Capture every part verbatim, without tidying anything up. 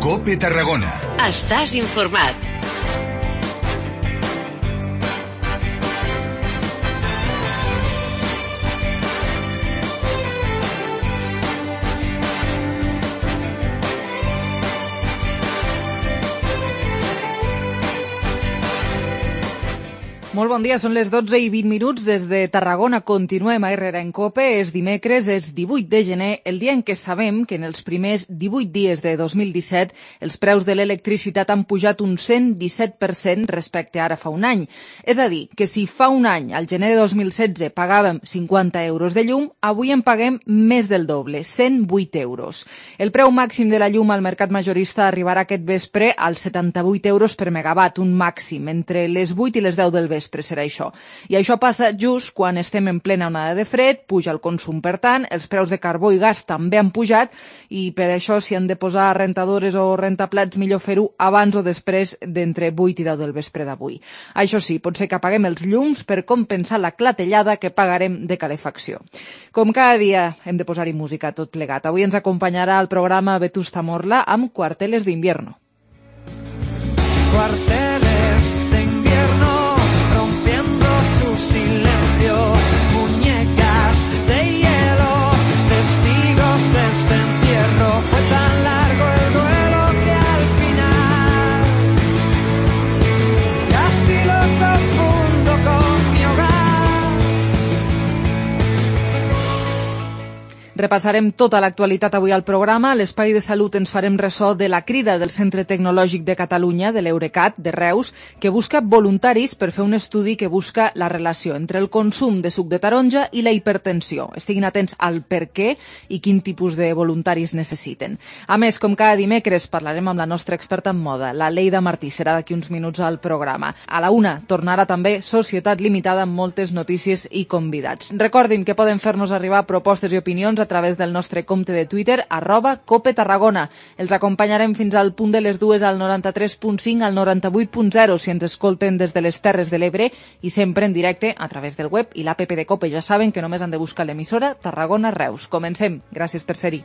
COPE Tarragona. Estàs informat. Molt bon dia, són les dotze i vint minuts. Des de Tarragona continuem a R R A en COPE. És dimecres, és divuit de gener, el dia en què sabem que en els primers divuit dies de dos mil disset els preus de l'electricitat han pujat un cent disset per cent respecte a ara fa un any. És a dir, que si fa un any, al gener de dos mil setze, pagàvem cinquanta euros de llum, avui en paguem més del doble, cent vuit euros. El preu màxim de la llum al mercat majorista arribarà aquest vespre als setanta-vuit euros per megawatt, un màxim, entre les vuit i les deu del vespre. Serà això. I això passa just quan estem en plena onada de fred, puja el consum, per tant, els preus de carbó i gas també han pujat i per això si han de posar rentadores o rentaplats millor fer-ho abans o després d'entre vuit i deu del vespre d'avui. Això sí, pot ser que apaguem els llums per compensar la clatellada que pagarem de calefacció. Com cada dia hem de posar-hi música tot plegat. Avui ens acompanyarà al programa Vetusta Morla amb Cuarteles d'Invierno. Cuarteles d'Invierno su silencio, muñecas de hielo, testigos de este encierro. Fue tan largo el duelo que al final casi lo confundo con mi hogar. Repassarem tota l'actualitat avui al programa. A l'Espai de Salut ens farem ressò de la crida del Centre Tecnològic de Catalunya, de l'Eurecat, de Reus, que busca voluntaris per fer un estudi que busca la relació entre el consum de suc de taronja i la hipertensió. Estiguin atents al per què i quin tipus de voluntaris necessiten. A més, com cada dimecres, parlarem amb la nostra experta en moda, la Leida Martí. Serà d'aquí uns minuts al programa. A la una tornarà també Societat Limitada amb moltes notícies i convidats. Recordin que poden fer-nos arribar propostes i opinions a través del nostre compte de Twitter, arroba Cope Tarragona. Els acompanyarem fins al punt de les dues al noranta-tres punt cinc, al noranta-vuit punt zero, si ens escolten des de les Terres de l'Ebre i sempre en directe a través del web i l'app de Cope. Ja saben que només han de buscar l'emissora Tarragona Reus. Comencem. Gràcies per ser-hi.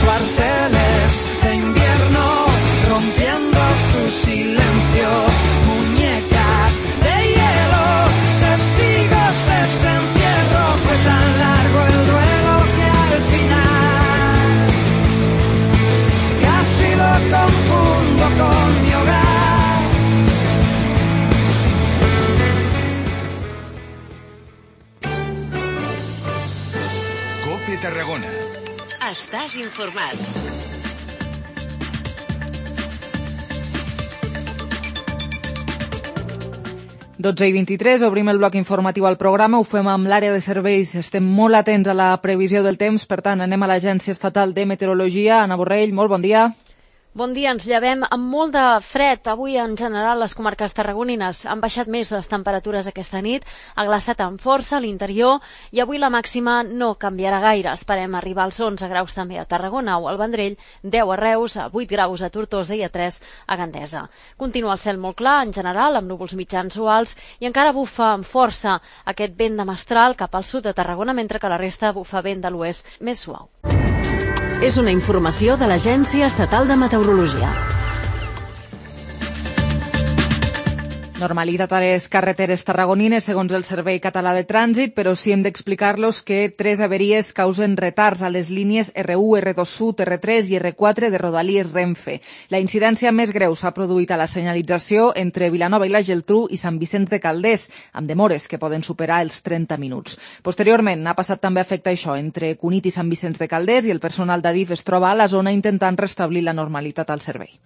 Cuarteles de invierno rompiendo su silencio. Este encierro fue tan largo el duelo que al final casi lo confundo con mi hogar. COPE Tarragona. Estàs informat. dotze i vint-i-tres, obrim el bloc informatiu al programa, ho fem amb l'àrea de serveis, estem molt atents a la previsió del temps, per tant anem a l'Agència Estatal de Meteorologia. Anna Borrell, molt bon dia. Bon dia, ens llevem amb molt de fred. Avui, en general, les comarques tarragonines han baixat més les temperatures aquesta nit, ha glaçat amb força a l'interior i avui la màxima no canviarà gaire. Esperem arribar als onze graus també a Tarragona o al Vendrell, deu a Reus, a vuit graus a Tortosa i a tres a Gandesa. Continua el cel molt clar, en general, amb núvols mitjans o alts i encara bufa amb força aquest vent de mestral cap al sud de Tarragona, mentre que la resta bufa vent de l'oest més suau. És una informació de l'Agència Estatal de Meteorologia. Normalitat a les carreteres tarragonines, segons el Servei Català de Trànsit, però sí hem d'explicar-los que tres averies causen retards a les línies erre u, erre dos Sud, erre tres i erre quatre de Rodalies Renfe. La incidència més greu s'ha produït a la senyalització entre Vilanova i la Geltrú i Sant Vicenç de Calders, amb demores que poden superar els trenta minuts. Posteriorment, ha passat també a afectar això entre Cunit i Sant Vicenç de Calders i el personal d'Adif es troba a la zona intentant restablir la normalitat al servei.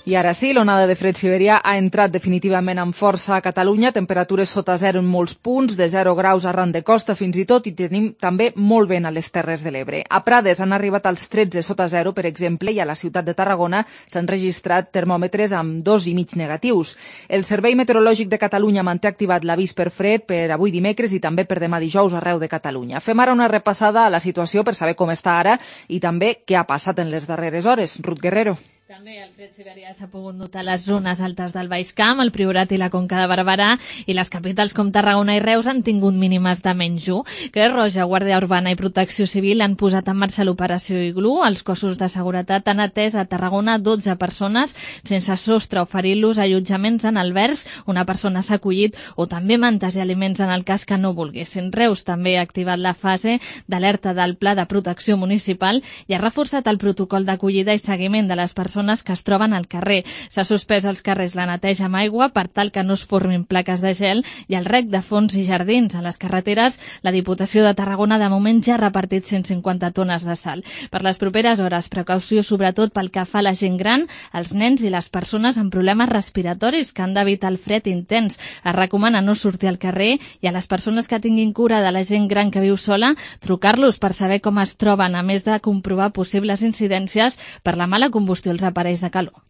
I ara sí, l'onada de fred siberià ha entrat definitivament amb força a Catalunya, temperatures sota zero en molts punts, de zero graus arran de costa fins i tot, i tenim també molt vent a les Terres de l'Ebre. A Prades han arribat als tretze sota zero, per exemple, i a la ciutat de Tarragona s'han registrat termòmetres amb dos i mig negatius. El Servei Meteorològic de Catalunya manté activat l'avís per fred per avui dimecres i també per demà dijous arreu de Catalunya. Fem ara una repassada a la situació per saber com està ara i també què ha passat en les darreres hores. Ruth Guerrero. també el fred siberià s'ha pogut notar a les zones altes del Baix Camp, el Priorat i la Conca de Barberà, i les capitals com Tarragona i Reus han tingut mínimes de menys u. Creu Roja, Guàrdia Urbana i Protecció Civil han posat en marxa l'operació Iglú. Els cossos de seguretat han atès a Tarragona dotze persones sense sostre, oferint-los allotjaments en albergs. Una persona s'ha acollit, o també mantes i aliments en el cas que no volguessin. Reus també ha activat la fase d'alerta del Pla de Protecció Municipal i ha reforçat el protocol d'acollida i seguiment de les persones que es troben al carrer. S'ha suspès als carrers la neteja amb aigua per tal que no es formin plaques de gel i el rec de fons i jardins. A les carreteres, la Diputació de Tarragona de moment ja ha repartit cent cinquanta tones de sal. Per les properes hores, precaució sobretot pel que fa a la gent gran, els nens i les persones amb problemes respiratoris que han d'evitar el fred intens. Es recomana no sortir al carrer i a les persones que tinguin cura de la gent gran que viu sola, trucar-los per saber com es troben, a més de comprovar possibles incidències per la mala combustió als aparells de calor.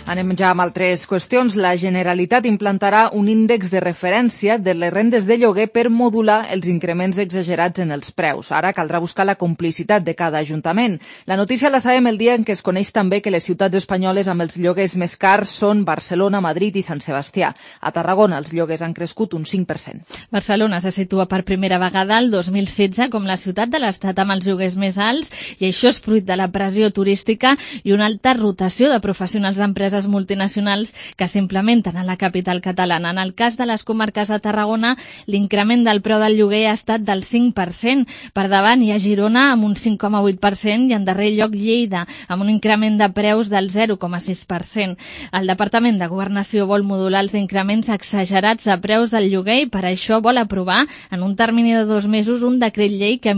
Anem ja amb altres qüestions. La Generalitat implantarà un índex de referència de les rendes de lloguer per modular els increments exagerats en els preus. Ara caldrà buscar la complicitat de cada ajuntament. La notícia la sabem el dia en què es coneix també que les ciutats espanyoles amb els lloguers més cars són Barcelona, Madrid i Sant Sebastià. A Tarragona els lloguers han crescut un cinc per cent. Barcelona se situa per primera vegada el dos mil setze com la ciutat de l'Estat amb els lloguers més alts, i això és fruit de la pressió turística i una alta rotació de professionals d'empreses multinacionals que s'implementen a la capital catalana. En el cas de les comarques de Tarragona, l'increment del preu del lloguer ha estat del cinc per cent. Per davant hi ha Girona amb un cinc coma vuit per cent i en darrer lloc Lleida amb un increment de preus del zero coma sis per cent. El Departament de Governació vol modular els increments exagerats de preus del lloguer i per això vol aprovar en un termini de dos mesos un decret llei que,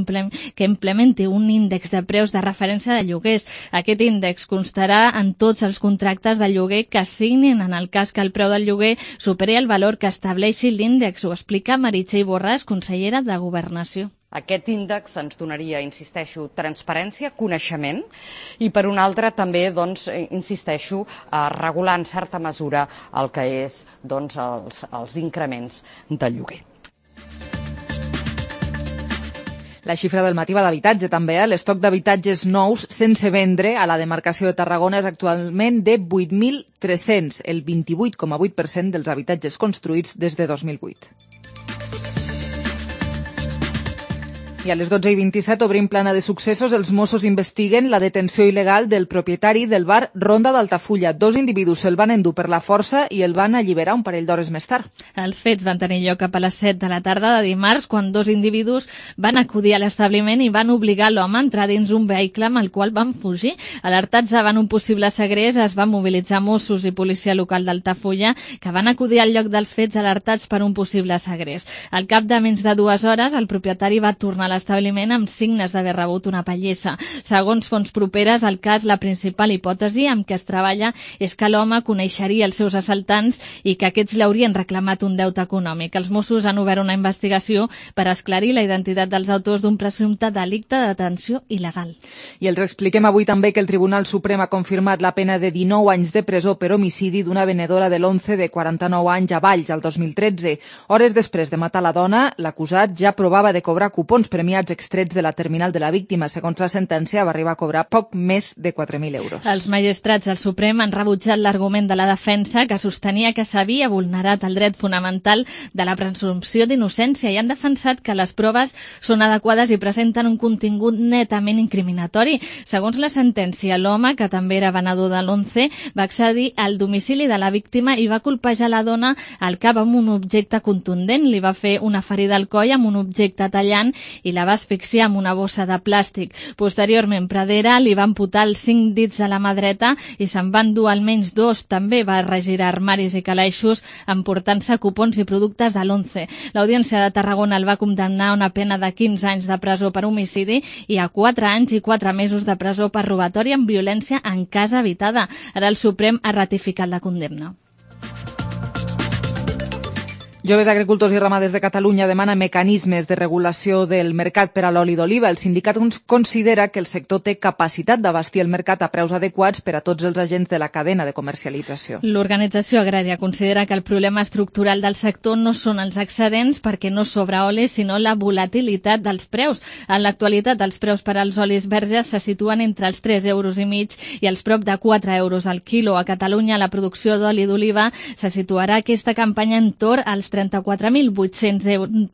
que implementi un índex de preus de referència de lloguers. Aquest índex constarà en tots els contractes de lloguer que signin en el cas que el preu del lloguer superi el valor que estableixi l'índex. Ho explica Meritxell Borràs, consellera de Governació. Aquest índex ens donaria, insisteixo, transparència, coneixement i per una altra també, doncs, insisteixo, a regular en certa mesura el que és, doncs, els, els increments de lloguer. La xifra del matí va d'habitatge també. Eh? L'estoc d'habitatges nous sense vendre a la demarcació de Tarragona és actualment de vuit mil tres-cents, el vint-i-vuit coma vuit per cent dels habitatges construïts des de dos mil vuit. I a les dotze i vint-i-set obrim plana de successos. Els Mossos investiguen la detenció il·legal del propietari del bar Ronda d'Altafulla. Dos individus se'l van endur per la força i el van alliberar un parell d'hores més tard. Els fets van tenir lloc cap a les set de la tarda de dimarts, quan dos individus van acudir a l'establiment i van obligar l'home a entrar dins un vehicle amb el qual van fugir. Alertats davant un possible segrest, es van mobilitzar Mossos i policia local d'Altafulla, que van acudir al lloc dels fets alertats per un possible segrest. Al cap de menys de dues hores, el propietari va tornar a l'establiment amb signes d'haver rebut una pallissa. Segons fonts properes al cas, la principal hipòtesi amb què es treballa és que l'home coneixeria els seus assaltants i que aquests li haurien reclamat un deute econòmic. Els Mossos han obert una investigació per esclarir la identitat dels autors d'un presumpte delicte de detenció il·legal. I els expliquem avui també que el Tribunal Suprem ha confirmat la pena de dinou anys de presó per homicidi d'una venedora de l'Once de quaranta-nou anys a Valls, el dos mil tretze. Hores després de matar la dona, l'acusat ja provava de cobrar cupons premiats extrets de la terminal de la víctima. Segons la sentència, va arribar a cobrar poc més de quatre mil euros. Els magistrats del Suprem han rebutjat l'argument de la defensa, que sostenia que s'havia vulnerat el dret fonamental de la presumpció d'innocència, i han defensat que les proves són adequades i presenten un contingut netament incriminatori. Segons la sentència, l'home, que també era venedor de l'Once, va accedir al domicili de la víctima i va colpejar la dona al cap amb un objecte contundent. Li va fer una ferida al coll amb un objecte tallant i la va asfixiar amb una bossa de plàstic. Posteriorment, Pradera li va amputar els cinc dits de la mà dreta i se'n van dur almenys dos. També va regirar armaris i calaixos emportant-se cupons i productes de l'Once. L'Audiència de Tarragona el va condemnar a una pena de quinze anys de presó per homicidi i a quatre anys i quatre mesos de presó per robatori amb violència en casa habitada. Ara el Suprem ha ratificat la condemna. Joves Agricultors i Ramaders de Catalunya demana mecanismes de regulació del mercat per a l'oli d'oliva. El sindicat considera que el sector té capacitat d'abastir el mercat a preus adequats per a tots els agents de la cadena de comercialització. L'organització agrària considera que el problema estructural del sector no són els excedents perquè no sobra oli, sinó la volatilitat dels preus. En l'actualitat, els preus per als olis verges se situen entre els tres euros i mig i els prop de quatre euros al quilo. A Catalunya, la producció d'oli d'oliva se situarà aquesta campanya en torn als trenta-quatre mil vuit-cents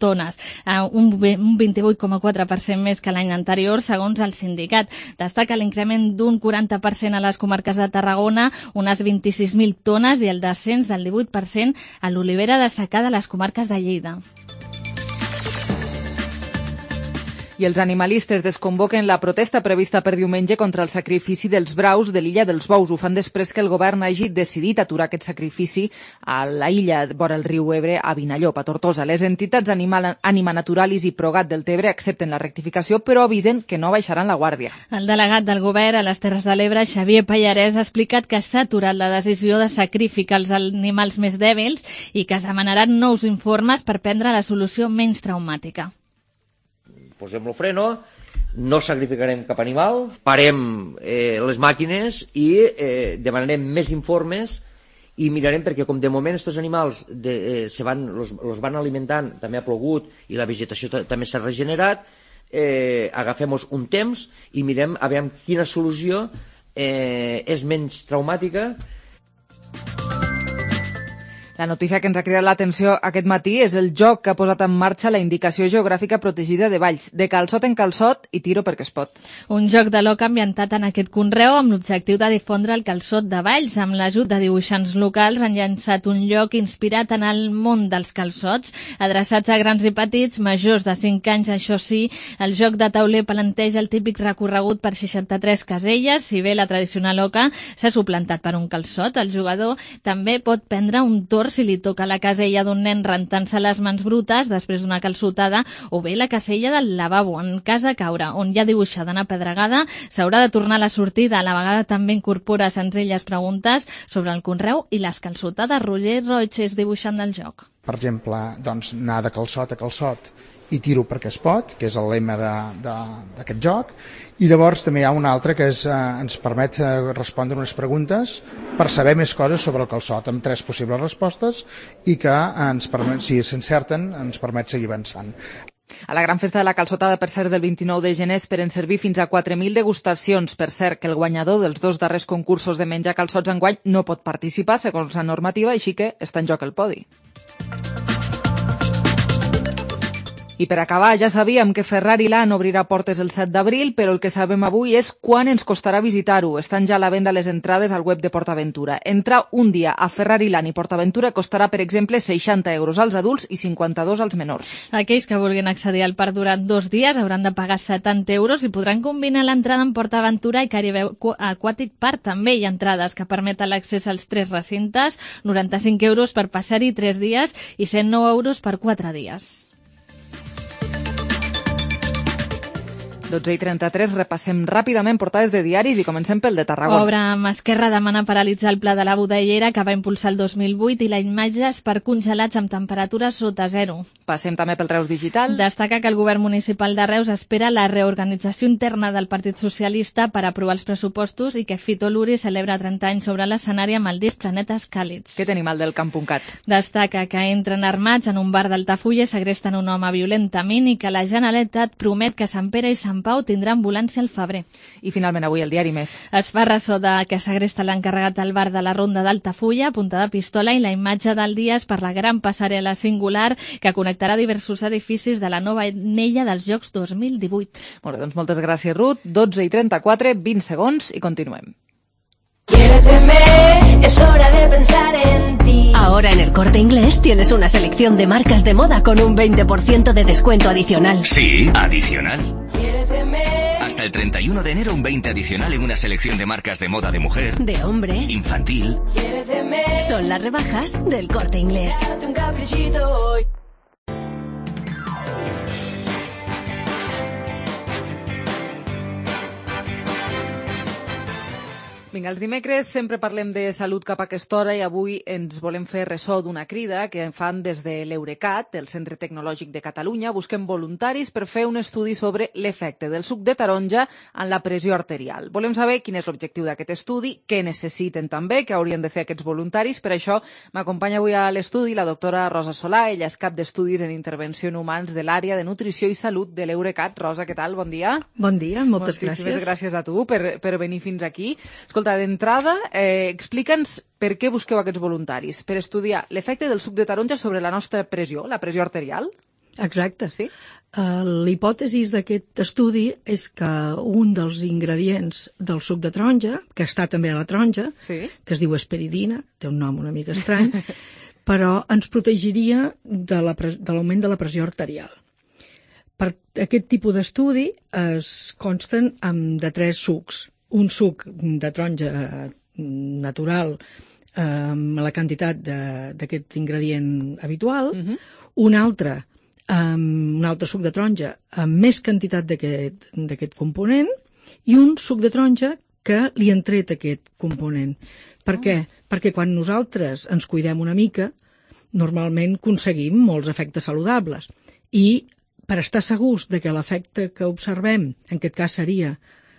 tones, un vint-i-vuit coma quatre per cent més que l'any anterior, segons el sindicat. Destaca l'increment d'un quaranta per cent a les comarques de Tarragona, unes vint-i-sis mil tones, i el descens del divuit per cent a l'olivera de secà de les comarques de Lleida. I els animalistes desconvoquen la protesta prevista per diumenge contra el sacrifici dels braus de l'illa dels Bous. Ho fan després que el govern hagi decidit aturar aquest sacrifici a la illa vora el riu Ebre, a Vinallop, a Tortosa. Les entitats Animal, Ànima Naturalis i Progat del Tebre accepten la rectificació, però avisen que no baixaran la guàrdia. El delegat del govern a les Terres de l'Ebre, Xavier Pallarès, ha explicat que s'ha aturat la decisió de sacrificar els animals més dèbils i que es demanaran nous informes per prendre la solució menys traumàtica. Posem el freno, no sacrificarem cap animal, parem eh, les màquines i eh, demanarem més informes i mirarem, perquè com de moment aquests animals de, eh, se van, los, los van alimentant, també ha plogut i la vegetació també s'ha regenerat, eh, agafem un temps i mirem a veure quina solució eh, és menys traumàtica. La notícia que ens ha cridat l'atenció aquest matí és el joc que ha posat en marxa la Indicació Geogràfica Protegida de Valls, de calçot en calçot i tiro perquè es pot. Un joc de l'oca ambientat en aquest conreu amb l'objectiu de difondre el calçot de Valls. Amb l'ajut de dibuixants locals han llançat un lloc inspirat en el món dels calçots, adreçats a grans i petits, majors de cinc anys. Això sí, el joc de tauler planteja el típic recorregut per seixanta-tres caselles. Si bé la tradicional oca s'ha suplantat per un calçot, el jugador també pot prendre un torn si li toca la casella d'un nen rentant-se les mans brutes després d'una calçotada, o bé la casella del lavabo. En cas de caure on hi ha dibuixada una pedregada, s'haurà de tornar a la sortida. A la vegada també incorpora senzilles preguntes sobre el conreu i les calçotades. Roger Roig és dibuixant del joc. Per exemple, doncs, anar de calçot a calçot i tiro perquè es pot, que és el lema d'aquest joc, i llavors també hi ha un altre que és, eh, ens permet eh, respondre unes preguntes per saber més coses sobre el calçot, amb tres possibles respostes, i que ens permet, si s'encerten ens permet seguir avançant. A la gran festa de la calçotada, per cert, del vint-i-nou de gener esperen servir fins a quatre mil degustacions. Per cert, que el guanyador dels dos darrers concursos de menjar calçots enguany no pot participar segons la normativa, així que està en joc el podi. I per acabar, ja sabíem que Ferrari Land obrirà portes el set d'abril, però el que sabem avui és quan ens costarà visitar-ho. Estan ja a la venda les entrades al web de PortAventura. Entrar un dia a Ferrari Land i PortAventura costarà, per exemple, seixanta euros als adults i cinquanta-dos als menors. Aquells que vulguin accedir al parc durant dos dies hauran de pagar setanta euros i podran combinar l'entrada en PortAventura i Caribe Aquatic Park. També hi ha entrades que permeten l'accés als tres recintes, noranta-cinc euros per passar-hi tres dies i cent nou euros per quatre dies. dotze i trenta-tres, repassem ràpidament portades de diaris i comencem pel de Tarragona. Obra amb Esquerra demana paralitzar el pla de la Budellera que va impulsar el dos mil vuit i la imatges per congelats amb temperatures sota zero. Passem també pel Reus Digital. Destaca que el govern municipal de Reus espera la reorganització interna del Partit Socialista per aprovar els pressupostos i que Fito Luri celebra trenta anys sobre l'escenari amb el disc Planetes Càlids. Què tenim al del Camp.cat? Destaca que entren armats en un bar d'Altafulla, segresten un home violentament i que la Generalitat promet que Sant Pere i Sant Pau tindrà ambulància al febrer. I finalment avui el diari Més. Es fa ressò de que segresta l'encarregat del bar de la Ronda d'Altafulla, punta de pistola, i la imatge del dia és per la gran passarel·la singular que connectarà diversos edificis de la nova anella dels Jocs dos mil divuit. Molt bé, doncs moltes gràcies, Ruth. dotze i trenta-quatre, vint segons i continuem. Quiéreteme, es hora de pensar en ti. Ahora en El Corte Inglés tienes una selección de marcas de moda con un veinte por ciento de descuento adicional. Sí, adicional. Quiéreteme. Hasta el treinta y uno de enero un veinte adicional en una selección de marcas de moda de mujer, de hombre, infantil. Quiéreteme. Son las rebajas del Corte Inglés. Date un caprichito hoy. Vinga, els dimecres sempre parlem de salut cap a aquesta hora i avui ens volem fer ressò d'una crida que fan des de l'Eurecat, el Centre Tecnològic de Catalunya. Busquem voluntaris per fer un estudi sobre l'efecte del suc de taronja en la pressió arterial. Volem saber quin és l'objectiu d'aquest estudi, què necessiten també, què haurien de fer aquests voluntaris. Per això m'acompanya avui a l'estudi la doctora Rosa Solà. Ella és cap d'estudis en intervenció en humans de l'àrea de nutrició i salut de l'Eurecat. Rosa, què tal? Bon dia. Bon dia, moltes gràcies. Moltíssimes gràcies a tu per, per venir fins aquí. Escolta, d'entrada, eh, explica'ns per què busqueu aquests voluntaris. Per estudiar l'efecte del suc de taronja sobre la nostra pressió, la pressió arterial? Exacte. Sí? Uh, L'hipòtesi d'aquest estudi és que un dels ingredients del suc de taronja, que està també a la taronja, sí, que es diu esperidina, té un nom una mica estrany, però ens protegiria de l'augment de la pressió arterial. Per aquest tipus d'estudi es consten amb, de tres sucs. Un suc de taronja natural eh, amb la quantitat d'aquest ingredient habitual, uh-huh. un altre amb un altre suc de taronja amb més quantitat d'aquest component i un suc de taronja que li han tret aquest component. Per oh. què? Perquè quan nosaltres ens cuidem una mica, normalment aconseguim molts efectes saludables. I per estar segurs de que l'efecte que observem, en aquest cas seria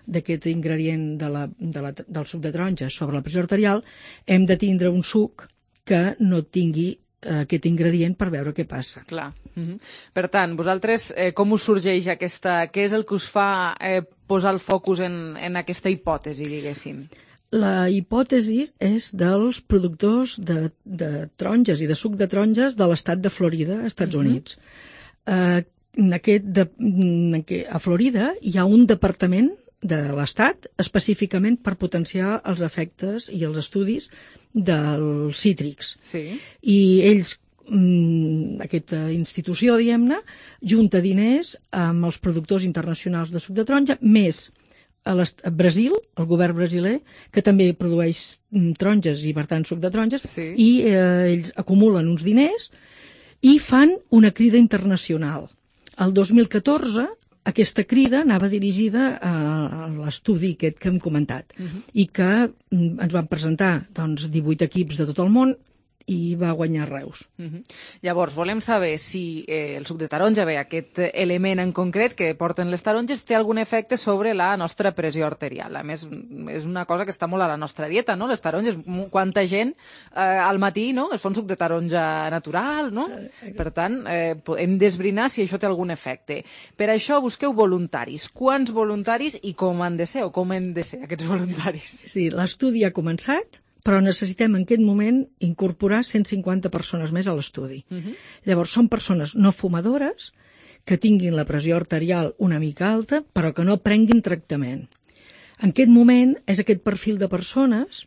d'aquest ingredient de la, de la, del suc de taronja sobre la pressió arterial, hem de tindre un suc que no tingui eh, aquest ingredient per veure què passa. Clar. Mm-hmm. Per tant, vosaltres, eh, com us sorgeix aquesta... Què és el que us fa eh, posar el focus en, en aquesta hipòtesi, diguéssim? La hipòtesi és dels productors de, de taronges i de suc de taronges de l'estat de Florida, als Estats mm-hmm. Units. Eh, en aquest de, en que, a Florida hi ha un departament de l'Estat, específicament per potenciar els efectes i els estudis dels cítrics. Sí. I ells, aquesta institució, diguem-ne, junta diners amb els productors internacionals de suc de taronja, més a, a Brasil, el govern brasiler, que també produeix taronges i, per tant, suc de taronges, sí. i eh, ells acumulen uns diners i fan una crida internacional. El dos mil catorze, aquesta crida anava dirigida a l'estudi aquest que hem comentat uh-huh. i que ens van presentar doncs, divuit equips de tot el món i va guanyar Reus. Uh-huh. Llavors, volem saber si eh, el suc de taronja, bé, aquest element en concret que porten les taronges, té algun efecte sobre la nostra pressió arterial. A més, és una cosa que està molt a la nostra dieta, no? Les taronges, quanta gent eh, al matí, no?, es fa un suc de taronja natural, no? Per tant, eh, hem d'esbrinar si això té algun efecte. Per això busqueu voluntaris. Quants voluntaris i com han de ser, o com han de ser aquests voluntaris? Sí, l'estudi ha començat, però necessitem en aquest moment incorporar cent cinquanta persones més a l'estudi. Uh-huh. Llavors, són persones no fumadores que tinguin la pressió arterial una mica alta, però que no prenguin tractament. En aquest moment és aquest perfil de persones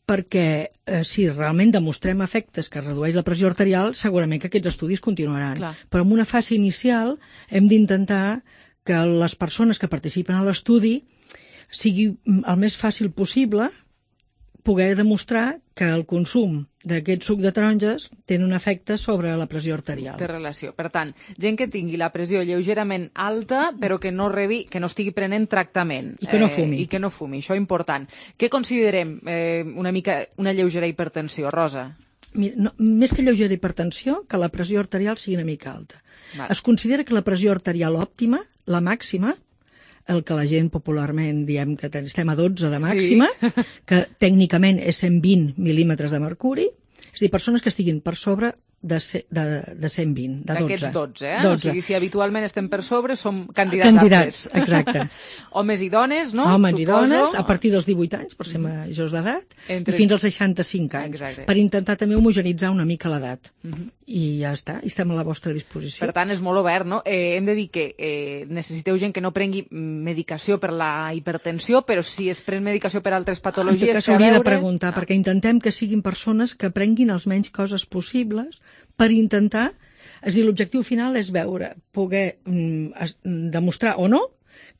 perquè eh, si realment demostrem efectes que redueix la pressió arterial, segurament que aquests estudis continuaran. Clar. Però en una fase inicial hem d'intentar que les persones que participen a l'estudi sigui el més fàcil possible poder demostrar que el consum d'aquest suc de taronges té un efecte sobre la pressió arterial. Té relació. Per tant, gent que tingui la pressió lleugerament alta, però que no rebi, que no estigui prenent tractament. I que no fumi. Eh, I que no fumi, això és important. Què considerem eh, una mica una lleugera hipertensió, Rosa? Mira, no, més que lleugera hipertensió, que la pressió arterial sigui una mica alta. Val. Es considera que la pressió arterial òptima, la màxima, el que la gent popularment diem que estem a dotze de màxima, sí. que tècnicament és cent vint mil·límetres de mercuri, és a dir, persones que estiguin per sobre de, de, de cent vint, de dotze. D'aquests dotze, eh? dotze. O sigui, si habitualment estem per sobre, som candidats, candidats aptes. Exacte. Homes i dones, no? Homes Suposo. i dones, a partir dels divuit anys, per ser majors d'edat, Entre... i fins als seixanta-cinc anys, Exacte. per intentar també homogenitzar una mica l'edat. Uh-huh. I ja està, i estem a la vostra disposició. Per tant, és molt obert, no? Eh, hem de dir que eh, necessiteu gent que no prengui medicació per la hipertensió, però si es pren medicació per altres patologies... Que s'hauria veure... de preguntar, ah. perquè intentem que siguin persones que prenguin els menys coses possibles per intentar... És a dir, l'objectiu final és veure, poder mm, es, demostrar o no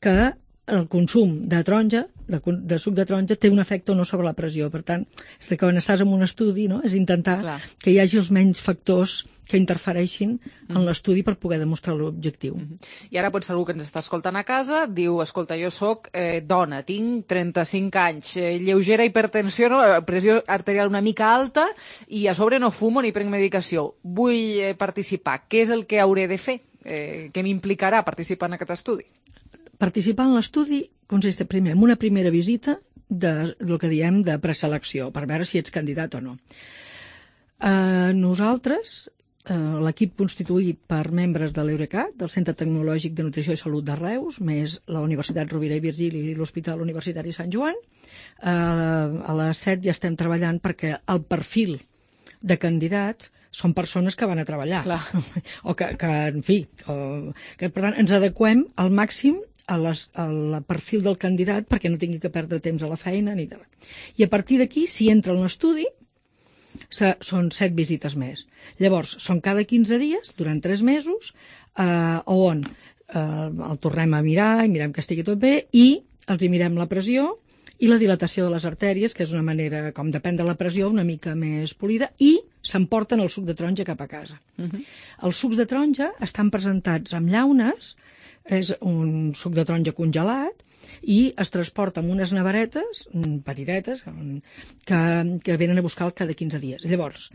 que el consum de taronja, de, de suc de taronja, té un efecte o no sobre la pressió. Per tant, és que quan estàs en un estudi, no?, és intentar Clar. que hi hagi els menys factors que interfereixin mm. en l'estudi per poder demostrar l'objectiu. Mm -hmm. I ara potser algú que ens està escoltant a casa diu, escolta, jo sóc eh, dona, tinc trenta-cinc anys, eh, lleugera hipertensió, no? Pressió arterial una mica alta i a sobre no fumo ni prenc medicació. Vull eh, participar. Què és el que hauré de fer? Eh, què m'implicarà participar en aquest estudi? Participar en l'estudi consisteix primer en una primera visita de, del que diem de preselecció, per veure si ets candidat o no. Eh, nosaltres, eh, l'equip constituït per membres de l'Eurecat, del Centre Tecnològic de Nutrició i Salut de Reus, més la Universitat Rovira i Virgili i l'Hospital Universitari Sant Joan, eh, a les set ja estem treballant perquè el perfil de candidats són persones que van a treballar. Clar. O que, que en fi, o, que per tant ens adequem al màxim a les, al perfil del candidat perquè no tingui que perdre temps a la feina ni de res. I a partir d'aquí, si entra en l'estudi, són set visites més. Llavors, són cada quinze dies, durant tres mesos, eh, on eh, el tornem a mirar i mirem que estigui tot bé i els hi mirem la pressió i la dilatació de les artèries, que és una manera, com depèn de la pressió, una mica més polida, i s'emporten el suc de taronja cap a casa. Uh -huh. Els sucs de taronja estan presentats amb llaunes, és un suc de taronja congelat, i es transporta amb unes neveretes petitetes que, que venen a buscar cada quinze dies. Llavors,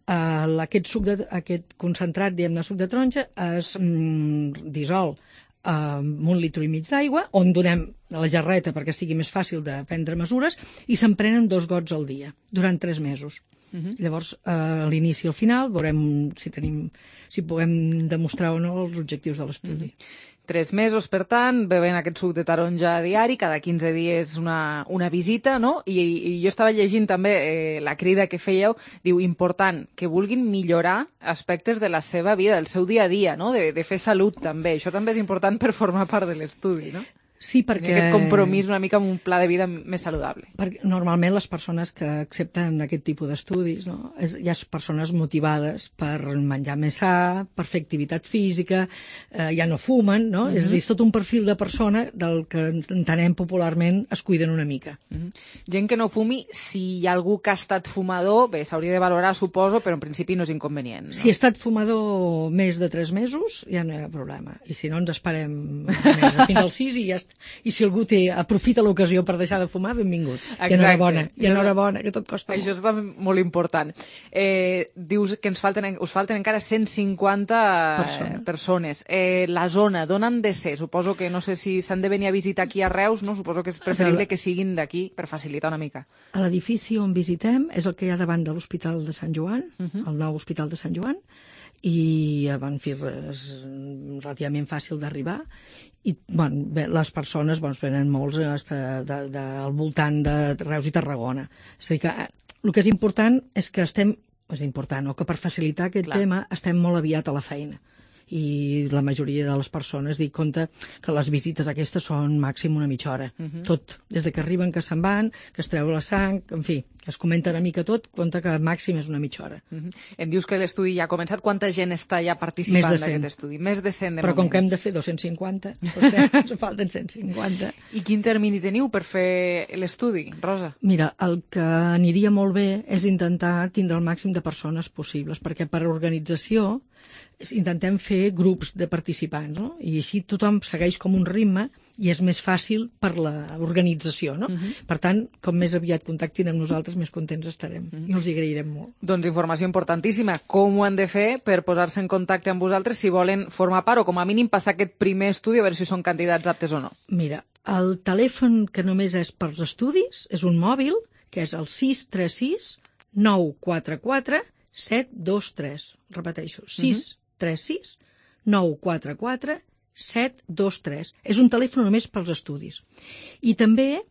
eh, aquest, suc de, aquest concentrat, diguem-ne, suc de taronja es mm, dissol amb un litre i mig d'aigua, on donem la jarreta perquè sigui més fàcil de prendre mesures, i se'n prenen dos gots al dia, durant tres mesos. Uh-huh. Llavors, a l'inici i al final, veurem si tenim, si puguem demostrar o no els objectius de l'estudi. Uh-huh. Tres mesos, per tant, bevent aquest suc de taronja a diari, cada quinze dies una, una visita, no? I, i jo estava llegint també eh, la crida que fèieu, diu, important, que vulguin millorar aspectes de la seva vida, del seu dia a dia, no? De, de fer salut, també. Això també és important per formar part de l'estudi, no? Sí, perquè... Aquest compromís una mica amb un pla de vida més saludable. Perquè normalment les persones que accepten aquest tipus d'estudis, no? és, hi ha persones motivades per menjar més sa, per fer activitat física, eh, ja no fumen, no? Mm-hmm. És a dir, és tot un perfil de persona del que entenem popularment es cuiden una mica. Mm-hmm. Gent que no fumi, si hi ha algú que ha estat fumador, bé, s'hauria de valorar, suposo, però en principi no és inconvenient, no? Si ha estat fumador més de tres mesos, ja no hi ha problema. I si no, ens esperem més, fins als sis i ja està. I si algú té, aprofita l'ocasió per deixar de fumar, benvingut. Exacte. I enhorabona, i enhorabona, que tot costa Això molt. és també molt important. Eh, dius que ens falten, us falten encara cent cinquanta Persona. persones. Eh, la zona, d'on han de ser? Suposo que, no sé si s'han de venir a visitar aquí a Reus, no? Suposo que és preferible que siguin d'aquí per facilitar una mica. L'edifici on visitem és el que hi ha davant de l'Hospital de Sant Joan, uh-huh. el nou Hospital de Sant Joan, i en fi, és relativament fàcil d'arribar. I bueno, bé, les persones doncs, venen molts de, de, de, al voltant de Reus i Tarragona. És a dir, que el que és important és que estem, és important, o que per facilitar aquest Clar. tema estem molt aviat a la feina. I la majoria de les persones dic compte que les visites aquestes són màxim una mitja hora. Uh-huh. Tot, des de que arriben, que se'n van, que es treu la sang, en fi, que es comenta una mica tot, compte que màxim és una mitja hora. Uh-huh. Em dius que l'estudi ja ha començat. Quanta gent està ja participant d'aquest estudi? Més de cent, de Però moment. com que hem de fer dos-cents cinquanta, doncs ens falten cent cinquanta. I quin termini teniu per fer l'estudi, Rosa? Mira, el que aniria molt bé és intentar tindre el màxim de persones possibles, perquè per organització intentem fer grups de participants, no? I així tothom segueix com un ritme i és més fàcil per l'organització, no? Uh-huh. Per tant, com més aviat contactin amb nosaltres, més contents estarem. Uh-huh. I els hi agrairem molt. Doncs informació importantíssima. Com ho han de fer per posar-se en contacte amb vosaltres si volen formar part o com a mínim passar aquest primer estudi a veure si són candidats aptes o no? Mira, el telèfon que només és pels estudis és un mòbil, que és el sis tres sis nou quatre quatre set dos tres. Repeteixo, sis tres sis nou quatre quatre set dos tres. És un telèfon només pels estudis. I també,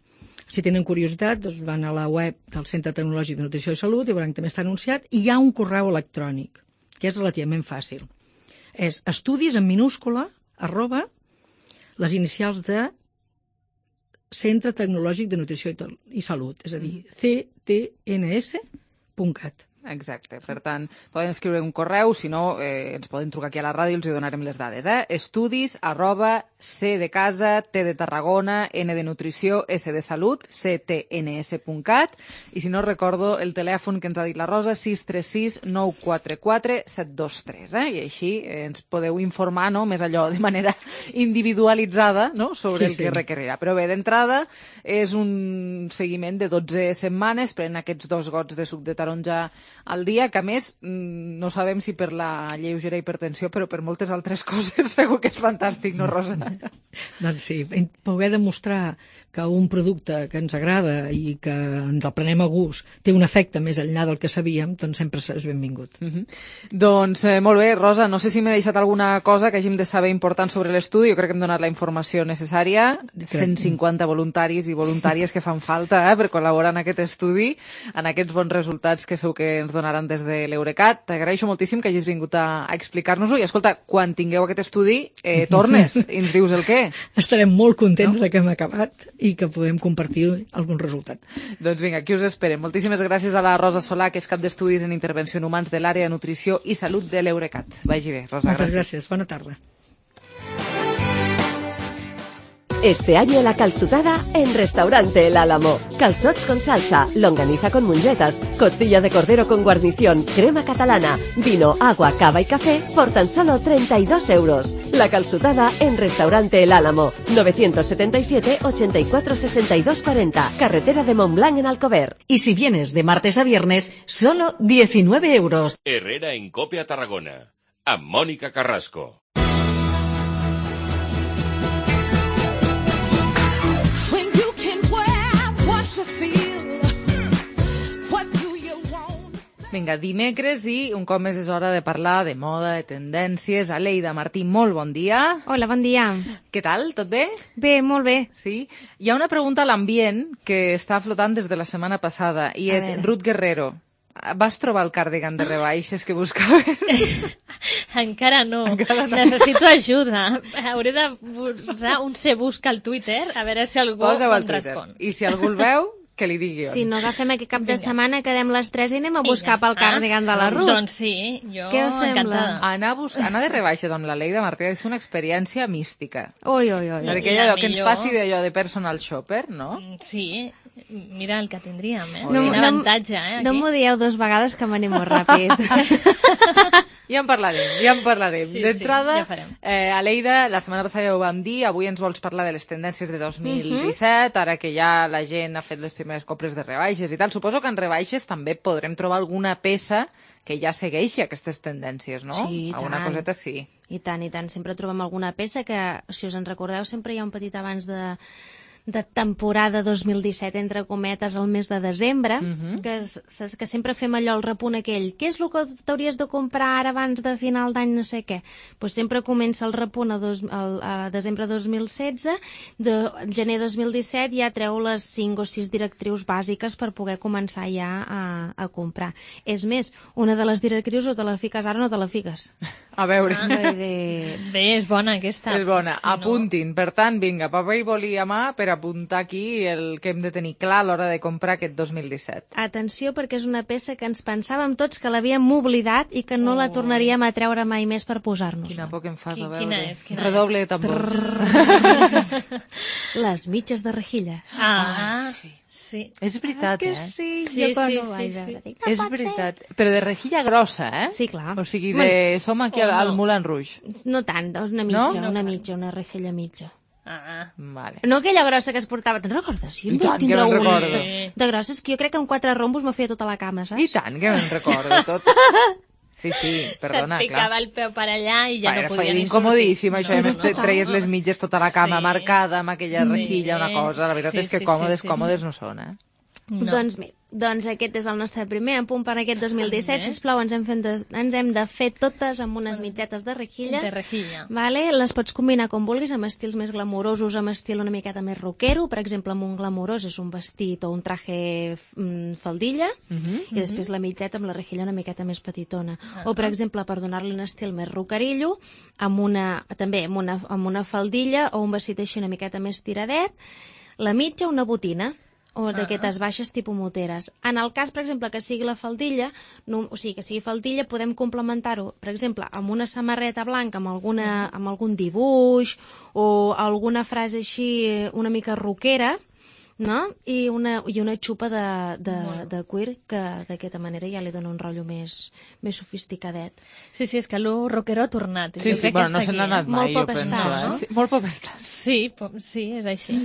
si tenen curiositat, doncs van a la web del Centre Tecnològic de Nutrició i Salut i veuran que també està anunciat, i hi ha un correu electrònic, que és relativament fàcil. És estudis en minúscula, arroba, les inicials de Centre Tecnològic de Nutrició i Salut, és a dir, c t n s punt cat. Exacte, per tant, poden escriure un correu, si no, eh, ens poden trucar aquí a la ràdio i els hi donarem les dades, eh? Estudis arroba c de casa, t de Tarragona, n de nutrició, s de salut, c t n s punt cat, i si no recordo el telèfon que ens ha dit la Rosa, sis tres sis nou quatre quatre set dos tres, eh? I així eh, ens podeu informar, no?, més allò de manera individualitzada, no?, sobre Sí, el que sí. requerirà. Però bé, d'entrada és un seguiment de dotze setmanes, pren aquests dos gots de suc de taronja al dia, que a més no sabem si per la lleugera hipertensió, però per moltes altres coses segur que és fantàstic, no, Rosa? Doncs sí, poder demostrar que un producte que ens agrada i que ens el prenem a gust té un efecte més enllà del que sabíem, doncs sempre és benvingut. Uh -huh. Doncs eh, molt bé, Rosa, no sé si m'he deixat alguna cosa que hàgim de saber important sobre l'estudi. Jo crec que hem donat la informació necessària. cent cinquanta voluntaris i voluntàries que fan falta eh, per col·laborar en aquest estudi, en aquests bons resultats que segur que ens donaran des de l'Eurecat. T'agraeixo moltíssim que hagis vingut a, a explicar-nos-ho i escolta, quan tingueu aquest estudi eh, tornes i ens dius el què. Estarem molt contents no? de que hem acabat i que podem compartir algun resultat. Doncs vinga, aquí us esperem. Moltíssimes gràcies a la Rosa Solà, que és cap d'estudis en intervenció en humans de l'àrea de nutrició i salut de l'Eurecat. Vagi bé, Rosa. Moltes gràcies. gràcies. Bona tarda. Este año la calçotada en Restaurante El Álamo. Calzots con salsa, longaniza con mongetas, costilla de cordero con guarnición, crema catalana, vino, agua, cava y café por tan solo treinta y dos euros. La calçotada en Restaurante El Álamo. novecientos setenta y siete, ochenta y cuatro, sesenta y dos cuarenta. Carretera de Montblanc en Alcover. Y si vienes de martes a viernes, solo diecinueve euros. Herrera en Cope a Tarragona. Amb Mònica Carrasco. Vinga, dimecres i un cop més és hora de parlar de moda, de tendències. Aleida Martí, molt bon dia. Hola, bon dia. Què tal? Tot bé? Bé, molt bé. Sí? Hi ha una pregunta a l'ambient que està flotant des de la setmana passada i A és veure. Ruth Guerrero. Vas trobar el cardigan de rebaixes que buscaves? Encara no. Encara no. Necessito ajuda. Hauré de posar un se busca al Twitter a veure si algú Posa-ho al em Twitter. respon. I si algú el veu, que li digui on. Si no agafem aquest cap de Vinga. setmana, quedem les tres i anem a I buscar ja pel està. cardigan de la Ruth. Doncs sí, jo Què us sembla? encantada. Anar, a bus... Anar de rebaixes amb la Leida Martí és una experiència mística. Ui, ui, ui. Perquè La allò que ens millor- faci d'allò de personal shopper, no? Sí, mira el que tindríem, eh? No- Quin no- avantatge, eh? Aquí. No m'ho dieu dos vegades que m'animo ràpid. Ja en parlarem, ja en parlarem. Sí, sí, D'entrada, ja farem. eh, Aleida, la setmana passada ja ho vam dir, avui ens vols parlar de les tendències de dos mil disset, ara que ja la gent ha fet les primeres compres de rebaixes i tal. Suposo que en rebaixes també podrem trobar alguna peça que ja segueixi aquestes tendències, no? Sí, i Alguna tant. coseta sí. I tant, i tant. Sempre trobem alguna peça que, si us en recordeu, sempre hi ha un petit abans de de temporada dos mil disset, entre cometes, al mes de desembre, Mhm. que, saps, que sempre fem allò, el repunt aquell, què és el que t'hauries de comprar ara abans de final d'any no sé què? Pues sempre comença el repunt a, dos, al, a desembre dos mil setze, de gener dos mil disset ja treu les cinc o sis directrius bàsiques per poder començar ja a, a comprar. És més, una de les directrius o te la fiques ara o no te la fiques. A veure. Ah. Vull dir, Bé, és bona aquesta. És bona. Si no- Apuntin. Per tant, vinga, paper i boli a mà per apuntar aquí el que hem de tenir clar a l'hora de comprar aquest dos mil disset. Atenció, perquè és una peça que ens pensàvem tots que l'havíem oblidat i que no Oh. la tornaríem a treure mai més per posar-nos. Quina por que em fas, Qui- a veure. quina és, quina Redoble és? de tambors. Les mitges de rejilla. Ah, sí. sí. És veritat, eh? sí? Sí, jo quan sí, ho sí, vaig sí. veure dic, És no pot veritat. Però de rejilla grossa, eh? Sí, clar. O sigui, de... som aquí al, Oh, no. al Moulin Rouge. ser. No tant, una mitja, No? una mitja, una rejilla mitja. Ah, Vale. No aquella grossa que es portava, te'n recordes? Jo I tant que tindrà me'n una recordo. de, de grosses que jo crec que amb quatre rombos me feia tota la cama, I saps? tant, que me'n recordo tot. Sí, sí, perdona, se't picava clar. el peu per allà i ja Va, no podia era ni incomodíssim, sortir. això, a més te treies les mitges tota la cama Sí. marcada amb aquella rejilla, una cosa. La veritat Sí, és que sí, còmodes, sí, sí, còmodes sí. no són, eh? No. Doncs bé, doncs aquest és el nostre primer apunt per aquest dos mil disset. Bé. Sisplau, ens hem, fet de, ens hem de fer totes amb unes mitgetes de rejilla. De rejilla. Vale? Les pots combinar com vulguis, amb estils més glamourosos, amb estil una miqueta més rockero. Per exemple, amb un glamourós és un vestit o un traje mm, faldilla, Mhm. i després la mitgeta amb la rejilla una miqueta més petitona. O, per exemple, per donar-li un estil més rockerillo, amb una, també amb una, amb una faldilla o un vestit així una miqueta més tiradet, la mitja una botina. o d'aquestes baixes tipus moteres. En el cas, per exemple, que sigui la faldilla, no, o sigui, que sigui faldilla, podem complementar-ho, per exemple, amb una samarreta blanca, amb, alguna, amb algun dibuix o alguna frase així una mica rockera, no? I una, i una xupa de, de, de cuir que d'aquesta manera ja li dona un rotllo més, més sofisticadet. Sí, sí, és que lo rockero ha tornat. Sí, sí, bueno, no se n'ha anat mai, molt pop estar, no? Sí, molt pop estar. Sí, sí, és així.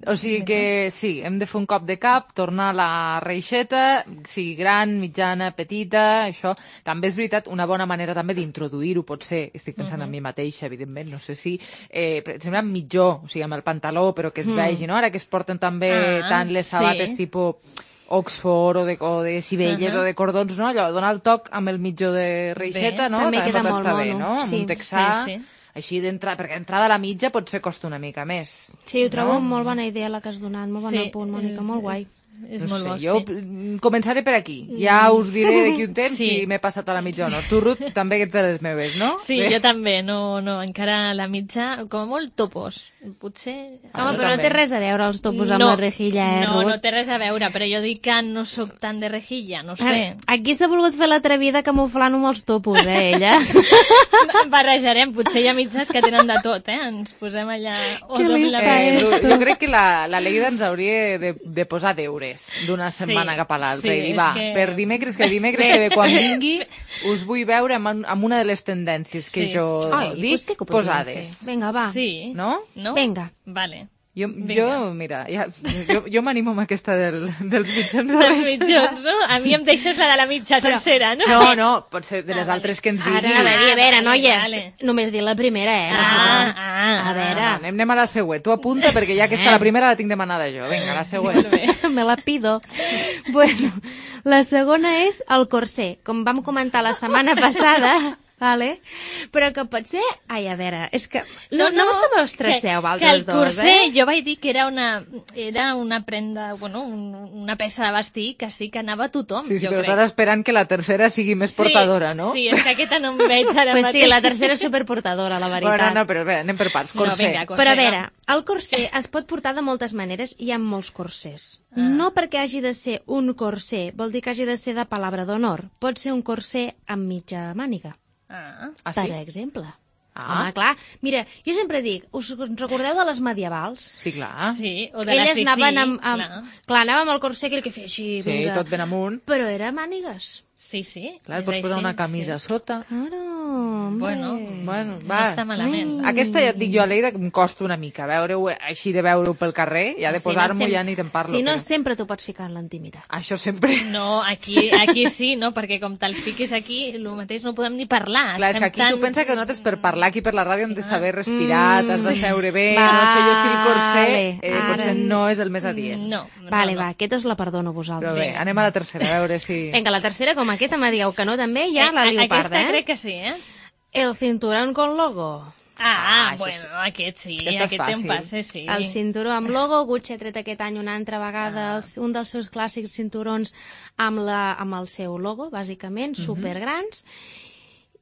O sigui que sí, hem de fer un cop de cap, tornar a la reixeta, sigui gran, mitjana, petita, això. També és veritat, una bona manera també d'introduir-ho pot ser, estic pensant uh-huh. en mi mateixa, evidentment, no sé si, eh, per exemple, amb mitjó, o sigui, amb el pantaló, però que es mm. vegi, no? Ara que es porten també ah, tant les sabates sí. tipus Oxford o de, o de Sibelles uh-huh. o de cordons, no? Allò, donar el toc amb el mitjó de reixeta, bé, no? També, també queda molt bé, mono. No? Amb sí, un texà, sí, sí. així d'entrada, perquè entrada a la mitja potser costa una mica més. Sí, ho trobo no? molt bona idea la que has donat, molt bon sí, apunt, Mònica, molt guai. És no molt sé, bo, jo sí. començaré per aquí. Ja us diré d'aquí un temps sí. si m'he passat a la mitja o no. Tu, Ruth, també que ets de les meves, no? Sí, Bé. jo també. No, no, encara la mitja, com a molt topos. Potser... Ah, Home, però també. No té res a veure els topos amb no, la rejilla, eh, No, Ruth? no té res a veure, però jo dic que no sóc tan de rejilla, no sé. Aquí s'ha volgut fer l'atrevida camuflant-ho amb els topos, eh, ella? Barrejarem, potser hi ha mitges que tenen de tot, eh? Ens posem allà... Que lista eh, és. Jo crec que la, la Leida ens hauria de, de posar deures d'una setmana sí, cap a l'altra sí, i dir, va, que... per dimecres, que dimecres que ve quan vingui us vull veure amb, amb una de les tendències que sí. jo Ai, dic pues sí que posades. Fer. Vinga, va. Sí. No? no? Vinga. Vale. Jo, jo, mira, ja, jo, jo m'animo amb aquesta del, dels mitjons de dels mitjons, no? A mi em deixes la de la mitja Però, sencera, no? No, no, pot ser de les ah, altres que ens digui. Ara anava a dir, a veure, noies, vale. només dir la primera, eh? Ah, ah, a veure. Ah, anem, anem a la següent. Tu apunta, perquè ja aquesta, la primera la tinc demanada jo. Vinga, la següent. Me la pido. Bueno, la segona és el corser. Com vam comentar la setmana passada... Vale. Però que pot ser... Ai, a veure, és que... No, no, no us estresseu, vosaltres dos, corser, eh? Jo vaig dir que era una, era una prenda, bueno, un, una peça de vestir que sí que anava a tothom, sí, sí, jo però crec. estàs esperant que la tercera sigui més sí, portadora, no? Sí, és que aquesta no em veig ara pues mateix. Sí, la tercera és superportadora, la veritat. Bueno, no, però bé, anem per parts. Corser. No, vinga, corser. Però a veure, el corser es pot portar de moltes maneres, hi ha molts corsers. Ah. No perquè hagi de ser un corser, vol dir que hagi de ser de palabra d'honor. Pot ser un corser amb mitja màniga. Ah, ah sí? Per exemple. Ah. Home, clar. Mira, jo sempre dic, us recordeu de les medievals? Sí, clar. Sí, o de Elles la sí, anaven sí, amb, amb, clar. clar, anàvem amb el corser aquell que feia així, sí, vinga. tot ben amunt. Però era mànigues. Sí, sí. Clar, pots posar una camisa sí. a sota. Claro, bueno, bueno, no va. està malament. Ai. Aquesta ja et dic jo, Leida, que em costa una mica veure-ho, així de veure-ho pel carrer, ja de si posar-m'ho no, sem... ja ni te'n parlo. Si no, però... sempre t'ho pots ficar en l'intimitat. Això sempre. No, aquí, aquí sí, no? Perquè com te'l fiquis aquí, el mateix no podem ni parlar. Clar, és que aquí tan... tu pensa que nosaltres per parlar aquí per la ràdio hem de saber respirar, mm. t'has de seure bé, vale, no sé jo si el corser eh, ara... potser no és el més adient. No, no Vale, no. va, aquesta us la perdono a vosaltres. Però bé, anem a la tercera, a veure si... Vinga, la tercera, com aquesta me dieu que no també, ja la liu parda, Aquesta eh? crec que sí, eh? El cinturón con logo. Ah, Ah, bueno, sí. aquest sí, Aquesta és aquest té un fàcil. passe, sí. El cinturó amb logo, Gucci ha tret aquest any una altra vegada ah. un dels seus clàssics cinturons amb, la, amb el seu logo, bàsicament, mm-hmm. supergrans.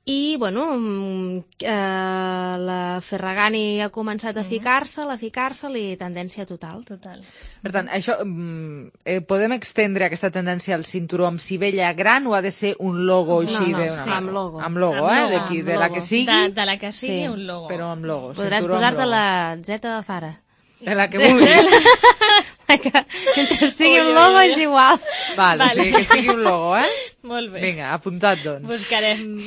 I, bueno, eh, la Ferragani ha començat a ficar-se'l, a ficar-se'l i tendència total. Total. Per tant, això, eh, podem extendre aquesta tendència al cinturó amb sivella gran o ha de ser un logo No, així no, de una sí, amb logo. Amb logo, Amb eh? logo, D'aquí, amb de la logo. que sigui, De, de la que sigui, Sí. un logo. però amb logo. Podràs cinturó amb posar-te logo. la zeta de Zara. De la que vulguis. Que, mentre sigui Ui, un logo ui, ui. és igual. Val, Vale. o sigui que sigui un logo, eh? Molt bé. Vinga, apuntat, doncs. Buscarem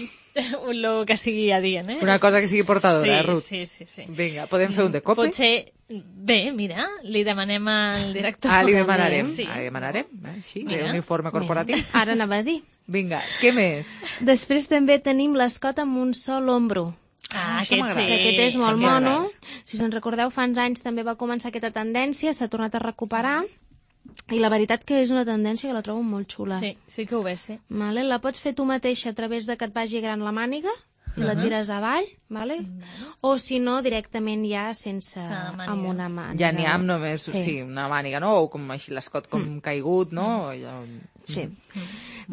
un logo que sigui adient, eh? Una cosa que sigui portadora, sí, eh, Ruth? Sí, sí, sí. Vinga, podem fer un de cope? Potser... Bé, mira, li demanem al director. Ah, li demanarem. Sí. Ah, li demanarem, eh? Així, Mira. d'un uniforme corporatiu. Mira, ara anava a dir. Vinga, què més? Després també tenim l'escot amb un sol ombro. Ah, això aquest m'agrada. sí. Que aquest és molt També mono. m'agrada. Si se'n recordeu, fa uns anys també va començar aquesta tendència, s'ha tornat a recuperar, i la veritat que és una tendència que la trobo molt xula. Sí, sí que ho ves, sí. Vale? La pots fer tu mateixa a través de que et vagi gran la màniga, i la tires avall, vale? O si no, directament ja sense... màniga. amb una màniga. Ja n'hi ha amb només, sí. Sí. sí, una màniga, no? O com així l'escot com mm. caigut, no? Ja... Sí. Mm.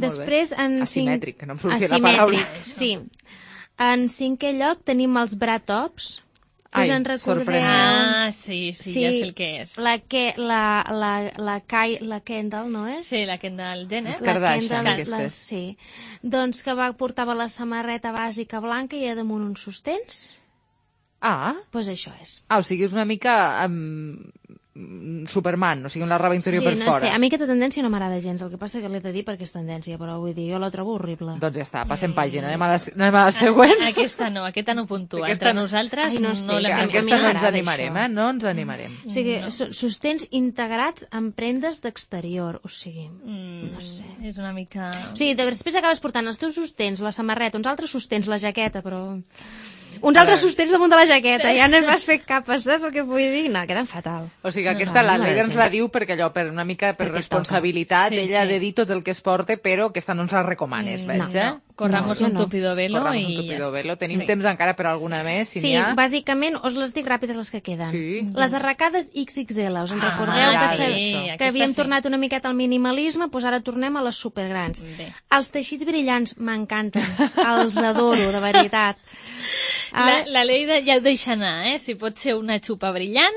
Després, en Asimètric, cinc... que no em sortia la paraula. Asimètric, sí. En cinquè lloc tenim els bra tops, Us en recordeu? Ah, sí, sí, sí, ja sé el que és. La, que, la, la, la, Kai, la Kendall, no és? Sí, la Kendall Jenner. La Kendall, la, sí. Doncs que va, portava la samarreta bàsica blanca i a damunt uns sostens. Ah. Doncs pues això és. Ah, o sigui, és una mica um, Superman, o sigui, amb la roba interior sí, per no fora. Sé. A mi aquesta tendència no m'agrada gens, el que passa que l'he de dir perquè és tendència, però vull dir, jo la trobo horrible. Doncs ja està, passem pàgina, anem a la, anem a la següent. A, aquesta no, aquesta no puntua. Aquesta Entre nosaltres Ai, no, sé, no la que aquesta no ens animarem, eh? No ens animarem. O sigui, sostens integrats en prendes d'exterior, o sigui, mm, no sé. És una mica... O sigui, després acabes portant els teus sostens, la samarreta, uns altres sostens, la jaqueta, però... Uns altres sostens damunt de la jaqueta, ja no vas fer capes, saps el que vull dir? No, queden fatal. O sigui, aquesta no, la Leida ens la diu perquè allò, per una mica per perquè responsabilitat, sí, ella sí. ha de dir tot el que es porta, però aquesta no ens la recomanes, veig, no, eh? No. Corramos no, un tupido velo Corramos i un tupido ja velo. Tenim sí. temps encara per alguna més, si sí, n'hi ha. Sí, bàsicament, us les dic ràpides les que queden. Sí. Les arracades ics ics ele, us en ah, recordeu ah, que, sí, que havíem sí. tornat una miqueta al minimalisme, doncs ara tornem a les supergrans. Bé. Els teixits brillants m'encanten, els adoro, de veritat. La, la Leida ja ho deixa anar, eh? Si pot ser una xupa brillant,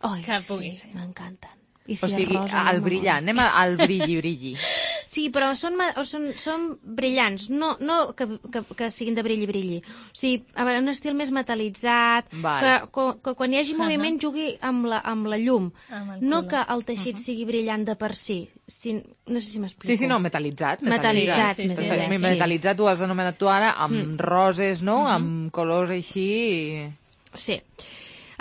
oh, que sí, pugui ser. M'encanten. I si o sigui, rosa, el brillant, anem al brilli, brilli. Sí, però són, són, són brillants, no, no que, que, que siguin de brilli, brilli. O sigui, a veure, un estil més metalitzat, que, que, que quan hi hagi moviment uh -huh. jugui amb la, amb la llum. Amb no que el teixit uh -huh. sigui brillant de per si. si no sé si m'explico. Sí, sí, no, metalitzat. Metalitzat, sí, sí, sí, sí, sí. Metalitzat ho has anomenat tu ara, amb mm. roses, no? Uh -huh. Amb colors així... I... Sí.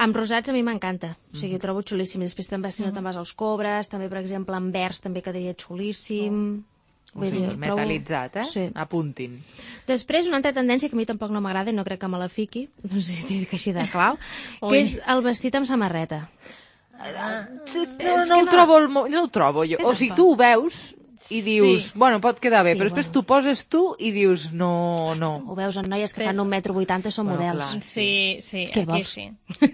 Amb rosats a mi m'encanta, o sigui, ho trobo xulíssim. Després també, si no te'n vas als cobres, també, per exemple, en vers també quedaria xulíssim. Oh. O sigui, dir, metalitzat, eh? Sí. Apuntin. Després, una altra tendència que a mi tampoc no m'agrada i no crec que me la fiqui, no sé si dic així de clau, que és el vestit amb samarreta. Ah, no, no, ho trobo, no ho trobo jo. O sigui, tu ho veus... i dius, sí. bueno, pot quedar bé, sí, però després bueno. tu poses tu i dius, no, no. Ho veus en noies que fan un metro vuitanta i són bueno, models. Clar, sí, sí, Què aquí vols? sí.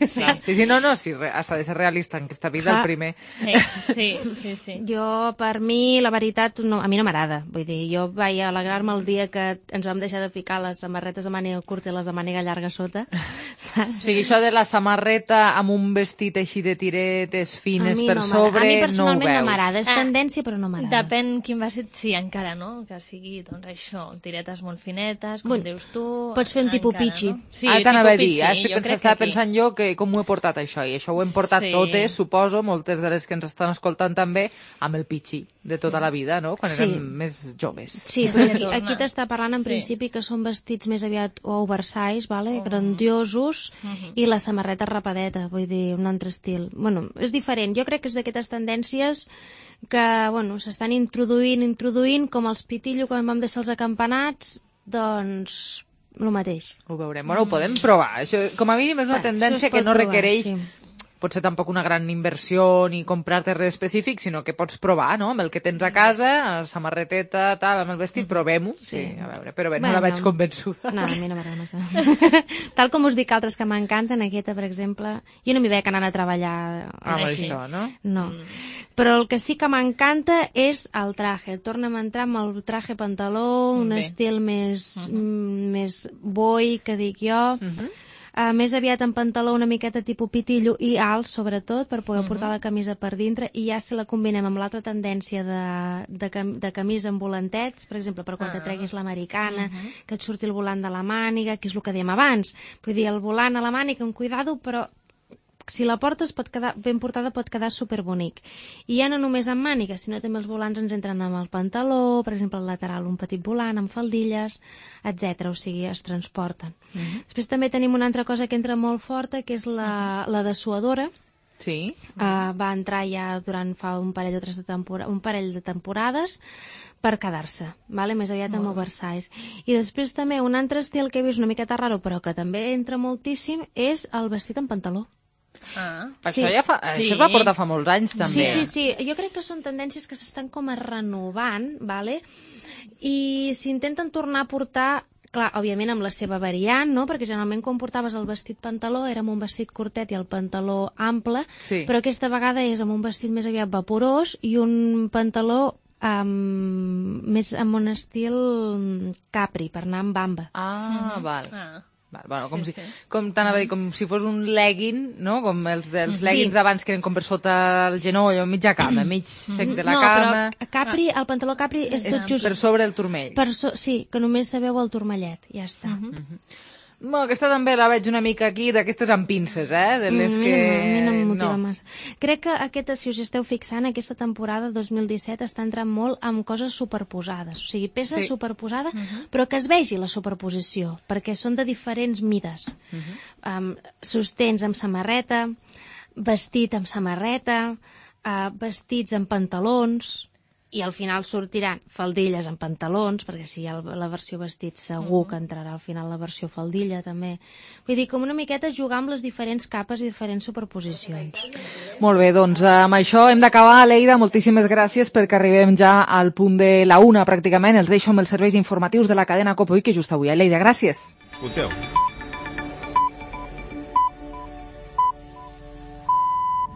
Sí. sí, sí, no, no, sí, has de ser realista en aquesta vida, clar. El primer. Sí, sí, sí. Jo, per mi, la veritat, no, a mi no m'agrada. Vull dir, jo vaig alegrar-me el dia que ens vam deixar de ficar les samarretes de màniga curta i les de màniga llarga sota. O sigui, això de la samarreta amb un vestit així de tiretes fines per no sobre, a mi no personalment ho veus. no m'agrada, és tendència, però no m'agrada. Depèn quin vestit, sí, encara, no? Que sigui, doncs, això, tiretes molt finetes, com bueno, dius tu... Pots fer un tipus pitxi. No? Sí, ah, t'anava a dir, estic pensant, estava pensant jo que com ho he portat això, i això ho hem portat sí. totes, suposo, moltes de les que ens estan escoltant també, amb el pitxi de tota la vida, no? Quan sí. érem més joves. Sí, però aquí, aquí t'està parlant en sí. principi que són vestits més aviat oversize, vale? Oh. grandiosos, uh -huh. i la samarreta rapadeta, vull dir, un altre estil. Bueno, és diferent, jo crec que és d'aquestes tendències que, bueno, s'estan introduint, introduint, com els pitillo quan vam deixar els acampanats, doncs, el mateix. Ho veurem. Bueno, ho podem provar. Això, com a mínim, és una bueno, tendència que no provar, requereix... Sí. Potser tampoc una gran inversió ni comprar-te res específic, sinó que pots provar, no?, amb el que tens a casa, samarreteta, tal, amb el vestit, provem-ho. Sí. sí, a veure, però bé, bueno, no la veig convençuda. No, a mi no m'agrada massa. Tal com us dic altres que m'encanten, aquesta, per exemple, jo no m'hi veig anant a treballar amb així. Això, no? No. Mm. Però el que sí que m'encanta és el traje. Torna'm a entrar amb el traje pantaló, un bé. estil més, uh -huh. més boi, que dic jo, uh -huh. Uh, més aviat en pantaló una miqueta tipus pitillo i alt, sobretot, per poder uh -huh. portar la camisa per dintre, i ja si la combinem amb l'altra tendència de, de, cam de camisa amb volantets, per exemple, per quan uh -huh. te treguis l'americana, uh -huh. que et surti el volant de la màniga, que és el que dèiem abans. Vull dir, el volant a la màniga, amb cuidado, però si la portes pot quedar ben portada, pot quedar superbonic. I ja no només amb mànigues, sinó també els volants ens entren amb el pantaló, per exemple, al lateral un petit volant, amb faldilles, etcètera. O sigui, es transporten. Uh -huh. Després també tenim una altra cosa que entra molt forta, que és la, uh -huh. la dessuadora. Sí. Uh, va entrar ja durant fa un parell o tres de tempora un parell de temporades per quedar-se, vale? Més aviat amb oversize. I després també un altre estil que he vist una miqueta raro, però que també entra moltíssim, és el vestit en pantaló. Ah, sí. Això, ja fa, sí. això es va portar fa molts anys, també. Sí, sí, sí. Jo crec que són tendències que s'estan com a renovant, vale? I s'intenten tornar a portar, clar, òbviament amb la seva variant, no? Perquè generalment quan portaves el vestit pantaló era amb un vestit curtet i el pantaló ample, sí. però aquesta vegada és amb un vestit més aviat vaporós i un pantaló Um, més amb un estil capri, per anar amb bamba. Ah, val. Ah. Bueno, com, Sí, si, sí. com, t'anava a dir, com si fos un legging, no? Com els dels Sí. leggings d'abans que eren com per sota el genoll o mitja cama, mig sec de la no, cama. però Capri, el pantaló Capri és, És tot just... per sobre el turmell. Per so... Sí, que només sabeu el turmellet, ja està. Uh -huh. Bueno, aquesta també la veig una mica aquí, d'aquestes amb pinces, eh? De les Mm, que... A mi no em motiva no. massa. Crec que aquesta, si us esteu fixant, aquesta temporada dos mil disset està entrant molt amb coses superposades. O sigui, peça Sí. superposada, Mhm. però que es vegi la superposició, perquè són de diferents mides. Um, sostens amb samarreta, vestit amb samarreta, uh, vestits amb pantalons, i al final sortiran faldilles amb pantalons, perquè si hi ha la versió vestit segur que entrarà al final la versió faldilla també. Vull dir, com una miqueta jugar amb les diferents capes i diferents superposicions. Molt bé, doncs amb això hem d'acabar. Leida, moltíssimes gràcies perquè arribem ja al punt de la una pràcticament. Els deixo amb els serveis informatius de la cadena COPE, que just avui. Leida, gràcies. Escolteu.